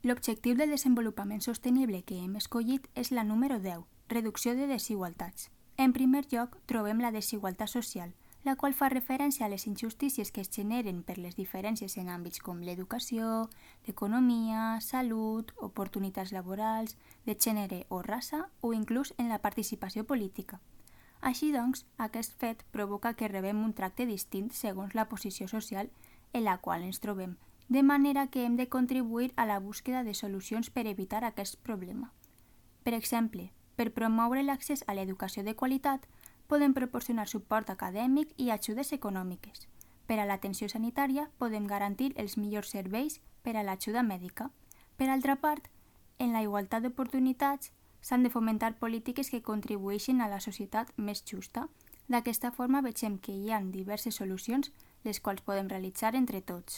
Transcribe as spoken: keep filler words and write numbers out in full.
L'objectiu de desenvolupament sostenible que hem escollit és la número deu, reducció de desigualtats. En primer lloc, trobem la desigualtat social, la qual fa referència a les injustícies que es generen per les diferències en àmbits com l'educació, l'economia, salut, oportunitats laborals, de gènere o raça o inclús en la participació política. Així doncs, aquest fet provoca que rebem un tracte distint segons la posició social en la qual ens trobem, de manera que hem de contribuir a la búsqueda de solucions per evitar aquest problema. Per exemple, per promoure l'accés a l'educació de qualitat, podem proporcionar suport acadèmic i ajudes econòmiques. Per a l'atenció sanitària, podem garantir els millors serveis per a l'ajuda mèdica. Per altra part, en la igualtat d'oportunitats, s'han de fomentar polítiques que contribueixin a la societat més justa. D'aquesta forma, veiem que hi ha diverses solucions les quals podem realitzar entre tots.